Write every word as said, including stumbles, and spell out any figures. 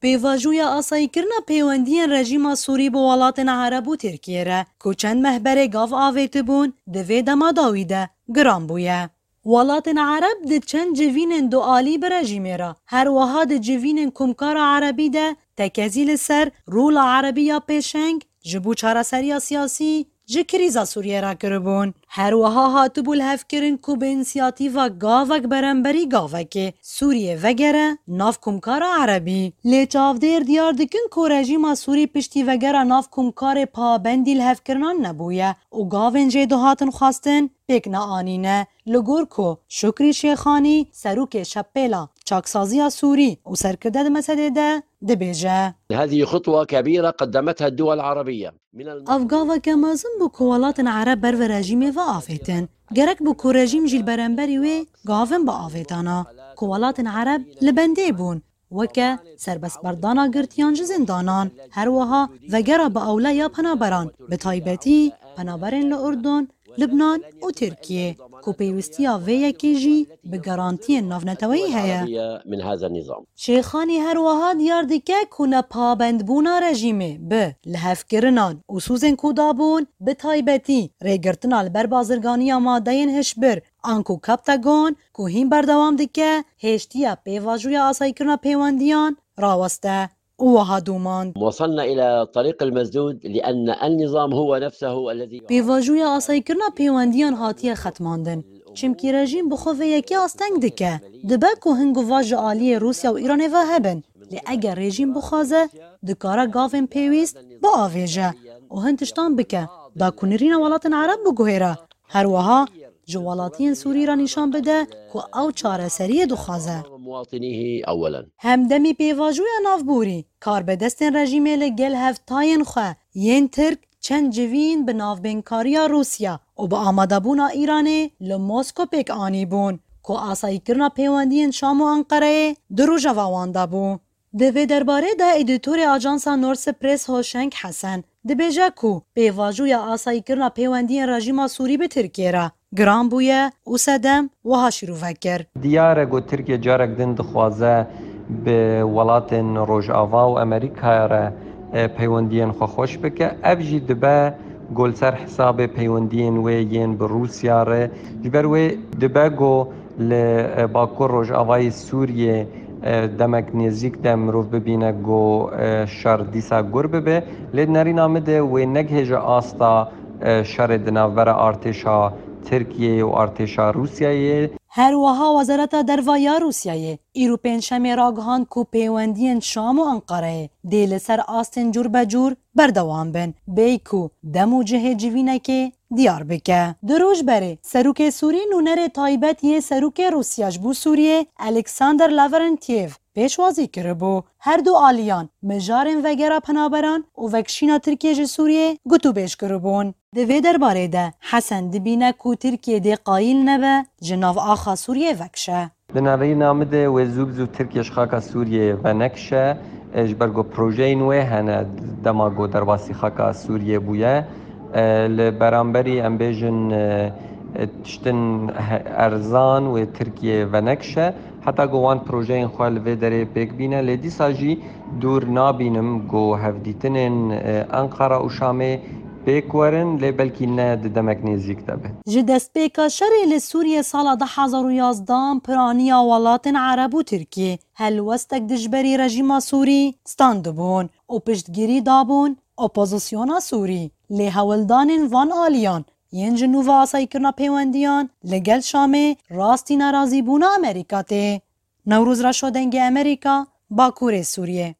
Pêvajoya asayîkirina pêwendiyên rejîma Sûrî bi welatên Ereb û Tirkiyê re, ku çend meh berê gav avêtibûn, di vê dema dawî de giran bûye. Welatên Ereb di çend civînên dualî bi rejîmê re, her wiha di civînên Komkara Erebî de tekezî li ser rola Erebî ya pêşeng ji bo çareseriya siyasî ji krîza Sûriyê re kiribûn. Her wiha hatibû lihevkirin ku bi însiyatîva gavek beremberî gavekê Sûriyê vegere nav Komkara Erebî. Lê çavdêr diyar dikin ku rejîma Sûrî piştî vegera nav Komkarê pabendî lihevkirinan nebûye û gavên jê dihatin xwestin pêk neanîne. Li gor ku Şukrî Şêxanî, serokê Şepêla Çaksaziya Sûrî û serkirde di mesedê de dibêje. هذه خطوة كبيرة قدمتها الدول العربية. Ev gaveke mezin bû ku welatên Ereb ber ve rejîmê ve avêtin. Gerek bû ku rejîm jî li beramberî wê gavin biavêtana, ku welatên Ereb li bendê bûn. Weke serbestberdana girtiyan ji zindanan, her wiha vegera bi ewla ya penaberan, bi taybetî penaberên li Urdun, Libnan û Tirkiyê, ku pêwistiya vê yekê jî bi garantiyên navneteweyî heye. Şêxanî her wiha diyar dike ku nepabendbûna rejîmê bi lihevkirinan û sûzên ku dabûn, bi taybetî rêgirtina li ber bazirganiya madeyên hişbir, anku Captagon, ku hîn berdewam dike hêştiya pêvajoya asayîkirina pêwendiyan raweste û wiha domand. وصلنا إلى طريق المسدود لأن النظام هو نفسه الذي Pêvajoya asayîkirina pêwendiyan hatiye xetmandin. Çimkî rejîm bi xwe vê yekê asteng dike. Dibe ku hin guva ji aliyê Rûsya û Îranê ve hebin. Lê eger rejîm bixwaze, dikare gavên pêwîst biavêje û hin tiştan bike, da ku nirîna welatên Ereb biguhêre. Her wiha ji welatiyên Sûrî re nîşan bide ku ew çareseriyê dixwaze. مواطنيه أولا. Hemdemî pêvajoya navborî, karbidestên rejîmê li gel hevtayên xwe yên Tirk çend civîn bi navbênkariya Rûsya û bi amadebûna Îranê li Mosko pêk anîbûn, ku asayîkirina pêwendiyên Şam û Enqereyê di rojeva wan de bû. Di vê derbarê de edîtorê ajansa Norse Press Hoşeng Hesen dibêje ku pêvajoya asayîkirina pêwendiyên rejîma Sûrî bi Tirkiyê re giran bûye û sedem wiha şîrove kir. Diyar e ku Tirkiye carek din dixwaze bi welatên Rojava û Amerîkaya re, e, peywendiyên xwe xweş bike. Ev jî dibe ku li ser hesabê peywendiyên wê yên bi Rûsya re. Ji ber wê dibe ku li, e, Bakur Rojavayê Sûriyê, e, demek nêzîk de mirov bibîne ku, e, şer dîsa gur bibe. Lê di nerîna min de wê negihêje asta, e, şerê di navbera artêşa Tirkiyeyê û artêşa Rûsyayê. Her wiha Wezareta Derva ya Rûsyayê îro pêncşemê ragihand ku pêwendiyên Şam û Enqereyê dê li ser astên cûr be cûr berdewam bin, bêyî ku dem û cihê civînekê diyar bike. Du roj berê serokê Sûrî nûnerê taybet yê serokê Rûsya ji bo Sûriyê Alexander Lavrentiev pêşwazî kiribû. Her du aliyan mijarên vegera penaberan û vekişîna Tirkiyê ji Sûriyê gotûbêj kiribûn. Di vê derbarê de Hesen dibîne ku Tirkiye dê qayîl nebe ji nav axa Sûriyê vekişe. Di nerîna min de wê zû bi zû Tirkiye ji xaka Sûriyê venekişe, e, ji ber ku projeyên wê hene dema ku derbasî xaka Sûriyê bûye. E, li beramberî em bêjin, e, e, tiştin he-, erzan wê Tirkiye venekişe. Heta ku wan projeyên xwe li vê derê pêk bîne, lê dîsa jî dûr nabînim ku hevdîtinên, e, Enqara û Şamê pêk werin, lê belkî ne di demek nêzîk de be. Ji destpêka şerê li Sûriyê sala du hezar û yazdehan piraniya welatên Ereb û Tirkiyê helwestek dijberî rejîma Sûrî standibûn û piştgirî dabûn opozisyona Sûrî. Lê hewldanên van aliyan yên ji nû ve asayîkirina pêwendiyan li gel Şamê rastî nerazîbûna Amerîka tê. Newroz Reşo, Dengê Amerîka, Bakurê Sûriyê.